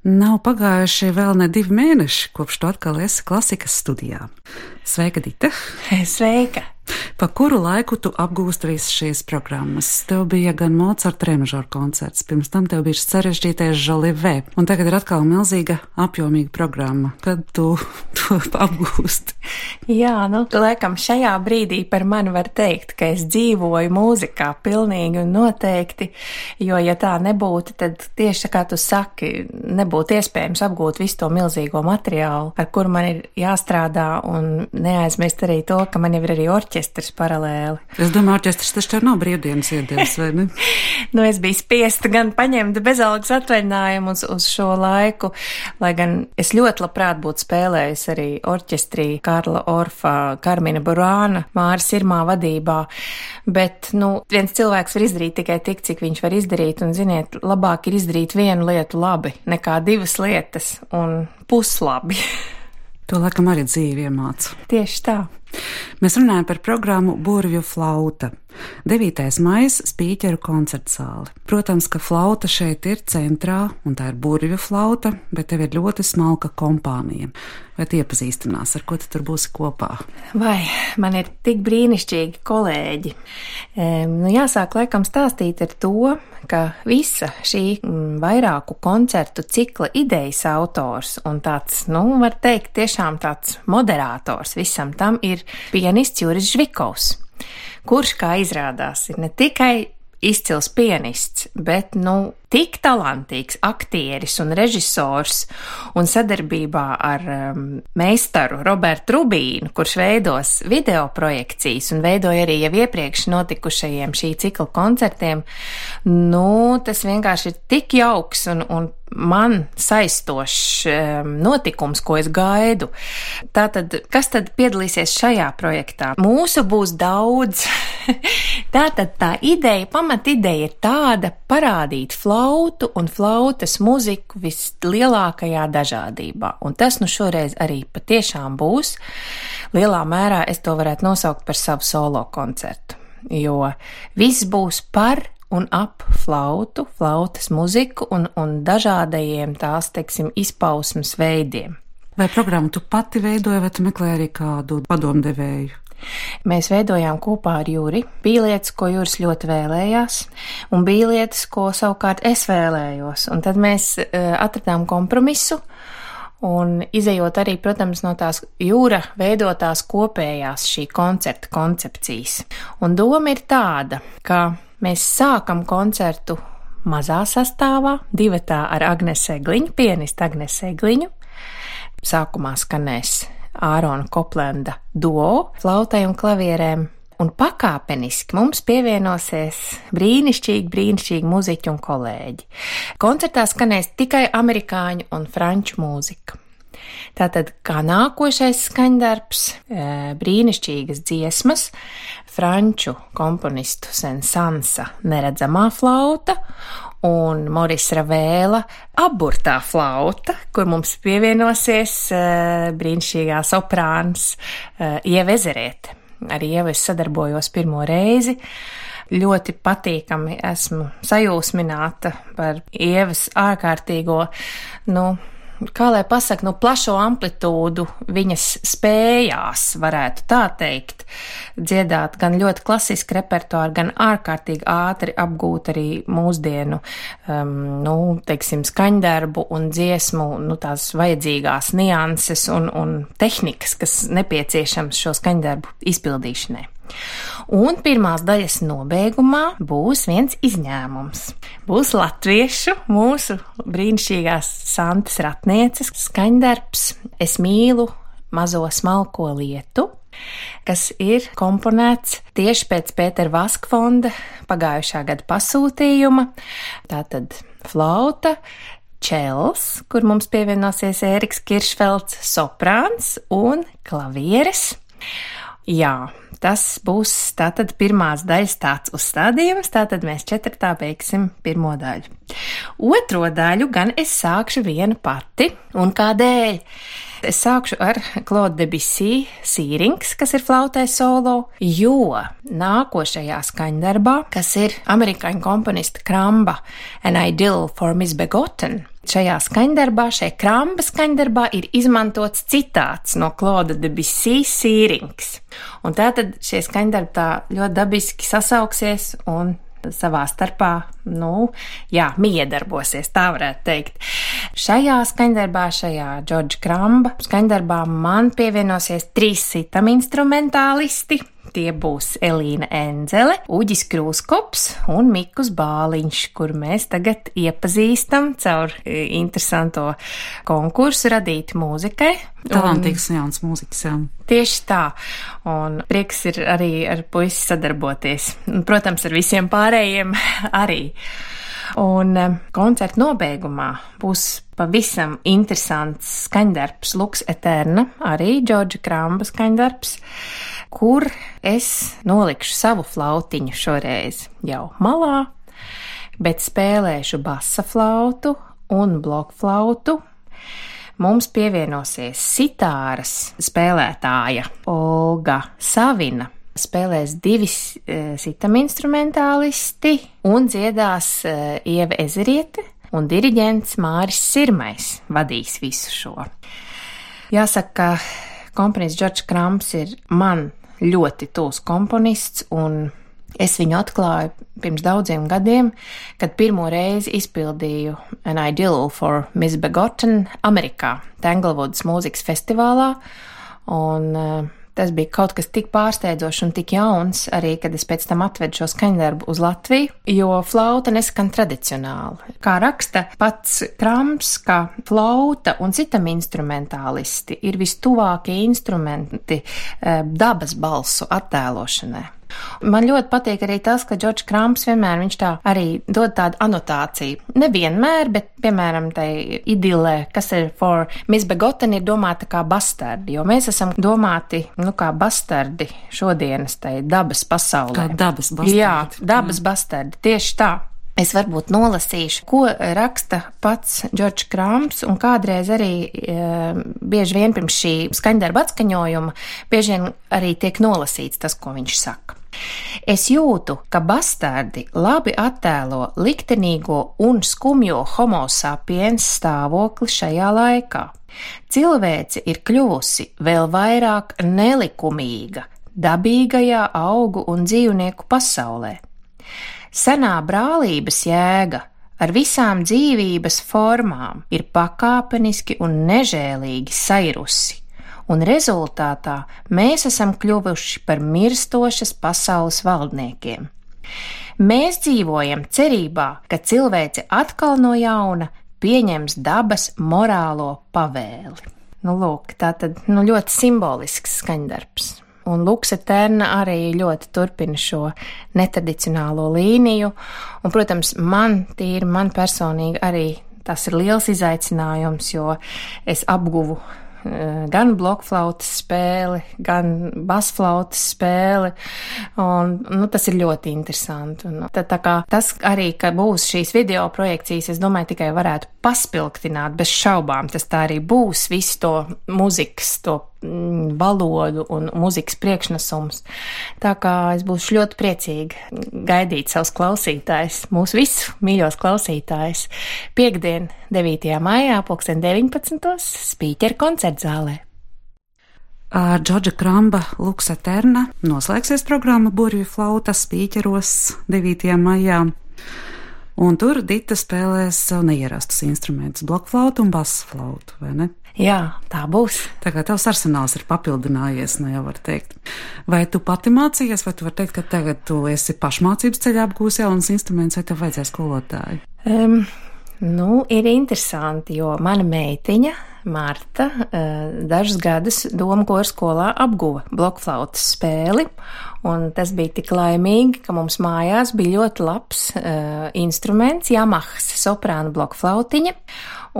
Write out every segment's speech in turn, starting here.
Nav pagājuši vēl ne 2 mēneši, kopš tu atkal esi klasikas studijā. Sveika, Dita! Sveika! Pa kuru laiku tu apgūsti visas šīs programmas? Tev bija gan Mocarta remažora koncerts, pirms tam tev bija sarežģītais Jolivē, un tagad ir atkal milzīga, apjomīga programma. Kad tu to apgūsti? Jā, laikam šajā brīdī par mani var teikt, ka es dzīvoju mūzikā pilnīgi un noteikti, jo ja tā nebūtu, tad tieši kā tu saki, nebūtu iespējams apgūt visu to milzīgo materiālu, ar kuru man ir jāstrādā, un neaizmirst arī to, ka man jau ir arī orķestris paralēli. Es domāju, orķestris taču tev nav brīvdienas iedevis, vai ne? Es biju spiesta gan paņemt bezalgas atvaļinājumu uz šo laiku, lai gan es ļoti labprāt būtu spēlējusi arī orķestrī Karla Orfa, Karmina Burāna, Māris Irmā vadībā, bet, viens cilvēks var izdarīt tikai tik, cik viņš var izdarīt, un, ziniet, labāk ir izdarīt vienu lietu labi, nekā 2 lietas, un puslabi. To laikam arī dzīve iemāca. Tieši tā. Mēs runājam par programmu Burvju flauta. 9. maijs Spīķeru koncertzāle. Protams, ka flauta šeit ir centrā, un tā ir burvju flauta, bet tev ir ļoti smalka kompānija. Vai tu iepazīstinās, ar ko tu tur būsi kopā? Vai, man ir tik brīnišķīgi kolēģi. Jāsāk laikam stāstīt ar to, ka visa šī vairāku koncertu cikla idejas autors un tāds, var teikt, tiešām tāds moderators visam tam ir pianists Juris Žvikovs, kurš, kā izrādās, ir ne tikai izcils pianists, bet, tik talantīgs aktieris un režisors un sadarbībā ar meistaru Robertu Rubīnu, kurš veidos video projekcijas un veidoja arī jau iepriekš notikušajiem šī cikla koncertiem, tas vienkārši ir tik jauks un man saistošs notikums, ko es gaidu. Tātad, kas tad piedalīsies šajā projektā? Mūsu būs daudz. Tātad tā ideja, pamatideja ir tāda parādīt flautu un flautas muziku vislielākajā dažādībā. Un tas šoreiz arī patiešām būs. Lielā mērā es to varētu nosaukt par savu solo koncertu, jo viss būs par un ap flautu, flautas muziku un dažādajiem tās, izpausmes veidiem. Vai programmu tu pati veidoji, vai tu meklēji arī kādu padomdevēju? Mēs veidojām kopā ar Juri. Bija lietas, ko Juris ļoti vēlējās, un bija lietas, ko savukārt es vēlējos. Un tad mēs atradām kompromisu, un izejot arī, protams, no tās Jūra veidotās kopējās šī koncerta koncepcijas. Un doma ir tāda, ka mēs sākam koncertu mazā sastāvā, divatā ar Agnesi Egliņu, pianistu Agnesi Egliņu. Sākumā skanēs Ārona Koplenda duo, flautai un klavierēm, un pakāpeniski mums pievienosies brīnišķīgi muziķi un kolēģi. Koncertā skanēs tikai amerikāņu un franču mūzika. Tātad, kā nākošais skaņdarbs, brīnišķīgas dziesmas, franču komponistu Sensansa neredzamā flauta un Moris Ravēla aburtā flauta, kur mums pievienosies brīnišķīgā soprāns Ieva Ezerēte. Ar Ievu es sadarbojos pirmo reizi. Ļoti patīkami esmu sajūsmināta par Ievas ārkārtīgo, kā lai pasaka, plašo amplitūdu viņas spējās, varētu tā teikt, dziedāt gan ļoti klasisku repertuāru, gan ārkārtīgi ātri apgūt arī mūsdienu, skaņdarbu un dziesmu, tās vajadzīgās nianses un tehnikas, kas nepieciešams šo skaņdarbu izpildīšanai. Un pirmās daļas nobeigumā būs viens izņēmums. Būs latviešu, mūsu brīnišķīgās Santas Ratnieces skaņdarbs Es mīlu mazo smalko lietu, kas ir komponēts tieši pēc Pētera Vaskfonda pagājušā gada pasūtījuma. Tātad flauta, čels, kur mums pievienosies Ēriks Kiršfelds, soprāns un klavieres. Jā, tas būs tātad pirmās daļas tāds uzstādījums, tātad mēs 4. beigsim pirmo daļu. Otro daļu gan es sākšu viena pati, un kādēļ? Es sākšu ar Claude Debussy Sīrings, kas ir flautai solo, jo nākošajā skaņdarbā, kas ir amerikāņu komponista Kramba An Idyll for Miss Begotten, Šajā skaņdarbā, šajā Kramba skaņdarbā ir izmantots citāts no Claude Debussy Sīrings. Un tātad šie skaņdarbi tā ļoti dabiski sasauksies un savā starpā, miedarbosies, tā varētu teikt. Šajā skaņdarbā, šajā Džordža Kramba skaņdarbā man pievienosies 3 sitam instrumentālisti. Tie būs Elīna Enzele, Uģis Krūskops un Mikus Bāliņš, kur mēs tagad iepazīstam caur interesanto konkursu Radīti mūzikai. Talantīgs jauns mūzikas, jā. Tieši tā, un prieks ir arī ar puisi sadarboties. Protams, ar visiem pārējiem arī. Un koncerta nobeigumā būs pavisam interesants skaņdarbs Lux Eterna, arī Džordža Kramba skaņdarbs, kur es nolikšu savu flautiņu šoreiz jau malā, bet spēlēšu basa flautu un blokflautu. Mums pievienosies sitāras spēlētāja Olga Savina. Spēlēs 2 sitam instrumentālisti un dziedās Ieva Ezeriete un diriģents Māris Sirmais vadīs visu šo. Jāsaka, ka komponists Džordžs Krambs ir man ļoti tūs komponists, un es viņu atklāju pirms daudziem gadiem, kad pirmo reizi izpildīju An Idyll for Miss Begotten Amerikā, Tanglewoods mūzikas festivālā, un tas bija kaut kas tik pārsteidzošs un tik jauns, arī, kad es pēc tam atvedu šo skaņdarbu uz Latviju, jo flauta neskan tradicionāli. Kā raksta pats Krambs, ka flauta un citam instrumentālisti ir vistuvākie instrumenti dabas balsu attēlošanai. Man ļoti patīk arī tas, ka Džordžs Krambs vienmēr viņš tā arī dod tādu anotāciju. Nevienmēr, bet, piemēram, tai idilē, kas ir for Miss Begotten, ir domāta kā bastardi, jo mēs esam domāti, kā bastardi šodienas tai dabas pasaulē. Kā dabas bastardi. Jā, dabas bastardi, tieši tā. Es varbūt nolasīšu, ko raksta pats Džordžs Krambs, un kādreiz arī bieži vien pirms šī skaņdarba atskaņojuma bieži vien arī tiek nolasīts tas, ko viņš saka. Es jūtu, ka bastardi labi attēlo liktenīgo un skumjo homo sapiens stāvokli šajā laikā. Cilvēce ir kļuvusi vēl vairāk nelikumīga dabīgajā augu un dzīvnieku pasaulē. Senā brālības jēga ar visām dzīvības formām ir pakāpeniski un nežēlīgi sairusi, un rezultātā mēs esam kļuvuši par mirstošas pasaules valdniekiem. Mēs dzīvojam cerībā, ka cilvēce atkal no jauna pieņems dabas morālo pavēli. Lūk, tā tad ļoti simbolisks skaņdarbs. Un Lux Eterna arī ļoti turpina šo netradicionālo līniju. Un, protams, man personīgi arī tas ir liels izaicinājums, jo es apguvu gan blokflautas spēli, gan basflautas spēli, un tas ir ļoti interesanti. Un, tā kā tas arī, ka būs šīs video projekcijas, es domāju, tikai varētu paspilgtināt bez šaubām. Tas tā arī būs visu to muzikas, to valodu un muzikas priekšnesums. Tā kā es būšu ļoti priecīga gaidīt savus klausītājus, mūsu visu mīļos klausītājus, piektdien 9. maijā 19. Spīķera koncertzālē. Ar Džordža Kramba Lux Eterna noslēgsies programma Burvju flauta Spīķeros 9. maijā. Un tur Dita spēlēs savu neierastus instrumentus, blokflautu un basflautu, vai ne? Jā, tā būs. Tā kā tavs arsenāls ir papildinājies, jau var teikt. Vai tu pati mācījies, vai tu vari teikt, ka tagad tu esi pašmācības ceļā apgūs jaunas instrumentus, vai tev vajadzēs skolotāju? Ir interesanti, jo mana meitiņa Marta dažus gadus Doma koru skolā apguva blokflautas spēli, un tas bija tik laimīgi, ka mums mājās bija ļoti labs instruments, Yamahas soprāna blokflautiņa,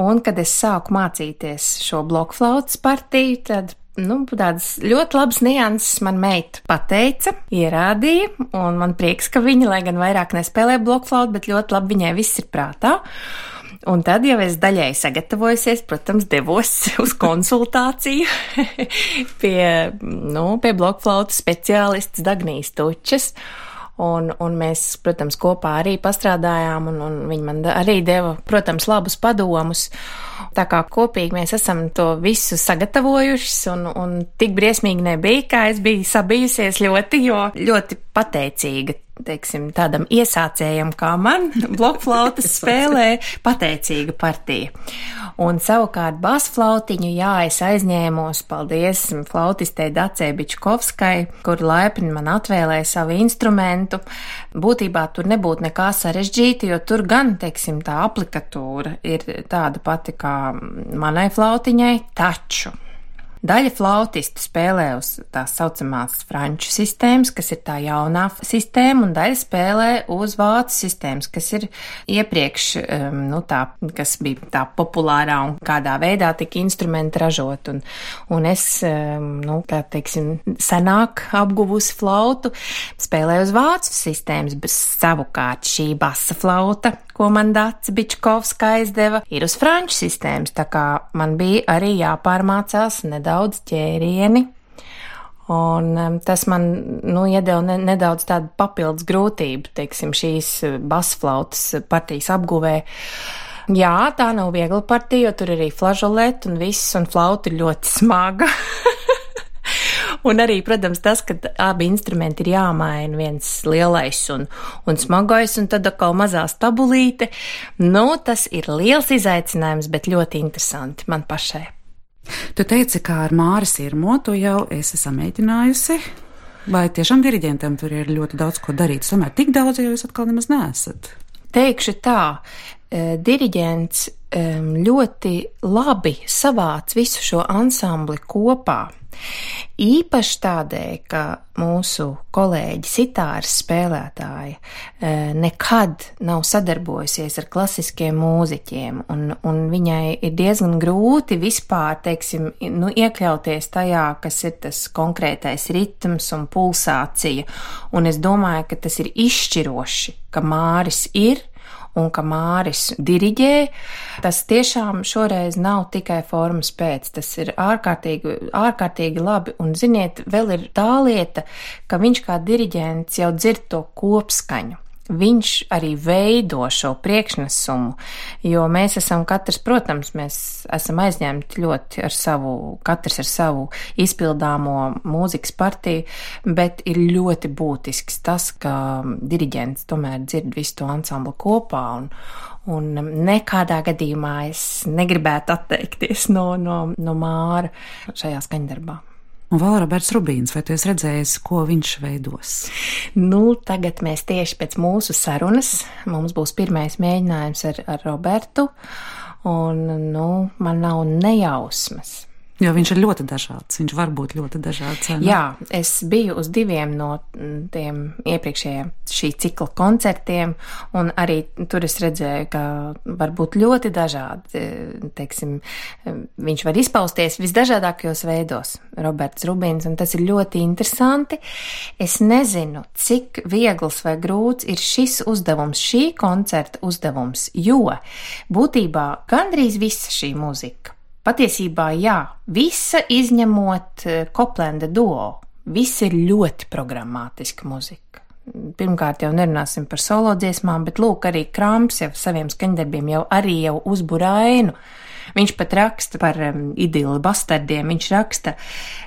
un kad es sāku mācīties šo blokflautas partiju, tad tādas ļoti labas nianses man meita pateica, ierādīja, un man prieks, ka viņa, lai gan vairāk nespēlē blokflautu, bet ļoti labi viņai viss ir prātā. Un tad jau es daļai sagatavojusies, protams, devos uz konsultāciju pie blokflautas speciālistas Dagnijas Tučes. Un mēs, protams, kopā arī pastrādājām, un viņi man arī deva, protams, labus padomus. Tā kā kopīgi mēs esam to visu sagatavojušas, un tik briesmīgi nebija, kā es biju sabijusies ļoti pateicīga, teiksim, tādam iesācējam kā man, blokflautas spēlē pateicīga partija. Un savukārt basflautiņu, es aizņēmos, paldies flautistei Dacei Bičkovskai, kur laipni man atvēlēja savu instrumentu. Būtībā tur nebūtu nekā sarežģīta, jo tur gan, teiksim, tā aplikatūra ir tāda pati kā manai flautiņai, taču daļa flautistu spēlē uz tās saucamās franču sistēmas, kas ir tā jaunā sistēma, un daļa spēlē uz vācu sistēmas, kas ir iepriekš, kas bija tā populārā un kādā veidā tika instrumenti ražot. Un es, tā teiksim, senāk apguvusi flautu, spēlēju uz vācu sistēmas, bet savukārt šī basa flauta, ko man Dace Bičkovska aizdeva, ir uz franču sistēmas, tā kā man bija arī jāpārmācās nedaudz ķērieni, un tas man, iedeva nedaudz tādu papildus grūtību, teiksim, šīs basflautas partijas apguvē. Jā, tā nav viegla partija, jo tur arī flažoleti un viss, un flauta ir ļoti smaga. Un arī, protams, tas, ka abi instrumenti ir jāmaina, viens lielais un smagais, un tad atkal mazā stabulīte. Tas ir liels izaicinājums, bet ļoti interesanti man pašai. Tu teici, kā ar Māri Sirmo, tu jau esi samēģinājusi, vai tiešām diriģentam tur ir ļoti daudz ko darīt? Tomēr tik daudz, jo jūs atkal nemaz neesat. Teikšu tā, diriģents ļoti labi savāc visu šo ansambli kopā. Īpaši tādēļ, ka mūsu kolēģi sitāras spēlētāji nekad nav sadarbojusies ar klasiskiem mūziķiem, un viņai ir diezgan grūti vispār, teiksim, iekļauties tajā, kas ir tas konkrētais ritms un pulsācija, un es domāju, ka tas ir izšķiroši, ka Māris ir, un ka Māris diriģē. Tas tiešām šoreiz nav tikai formas pēc, tas ir ārkārtīgi labi, un ziniet, vēl ir tā lieta, ka viņš kā diriģents jau dzird to kopskaņu. Viņš arī veido šo priekšnesumu, jo mēs esam katrs, protams, mēs esam aizņemti ļoti katrs ar savu izpildāmo mūzikas partiju, bet ir ļoti būtisks tas, ka diriģents tomēr dzird visu to ansamblu kopā, un nekādā gadījumā es negribētu atteikties no Māra šajā skaņdarbā. Un vēl Roberts Rubīns, vai tu esi redzējis, ko viņš veidos? Tagad mēs tieši pēc mūsu sarunas, mums būs pirmais mēģinājums ar Robertu, un, man nav nejausmas. Jo viņš ir ļoti dažāds, viņš var būt ļoti dažāds. Jā, es biju uz 2 no tiem iepriekšējiem šī cikla koncertiem, un arī tur es redzēju, ka var būt ļoti dažādi, teiksim, viņš var izpausties visdažādākajos veidos, Roberts Rubīns, un tas ir ļoti interesanti. Es nezinu, cik viegls vai grūts ir šis uzdevums, šī koncerta uzdevums, jo būtībā gandrīz visa šī mūzika, patiesībā jā, visa izņemot Koplenda duo, viss ir ļoti programmātiska muzika. Pirmkārt jau nerunāsim par solo dziesmām, bet lūk, arī Kramps jau saviem skaņdarbiem jau uzbur ainu. Viņš pat raksta par idili bastardiem, viņš raksta,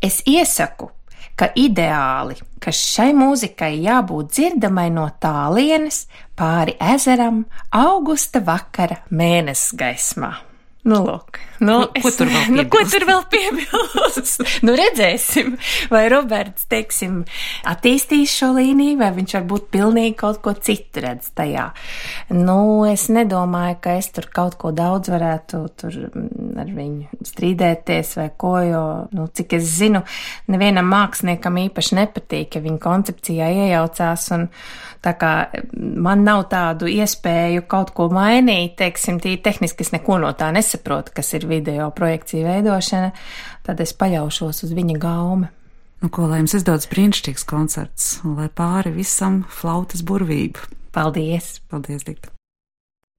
es iesaku, ka ideāli, ka šai mūzikai jābūt dzirdamai no tālienes pāri ezeram augusta vakara mēnesis gaismā. Lūk. Ko tur vēl piebilst? Redzēsim, vai Roberts, teiksim, attīstīs šo līniju, vai viņš varbūt pilnīgi kaut ko citu redz tajā. Es nedomāju, ka es tur kaut ko daudz varētu tur ar viņu strīdēties vai ko, jo, cik es zinu, nevienam māksliniekam īpaši nepatīk, ja viņa koncepcijā iejaucās, un tā kā man nav tādu iespēju kaut ko mainīt, teiksim, tīri tehniski es neko no tā nesaprotu, kas ir video projekciju veidošana, tad es paļaušos uz viņa gaume. Ko lai jums izdodas brīnišķīgs koncerts, un lai pāri visam flautas burvība. Paldies! Paldies, Dikta!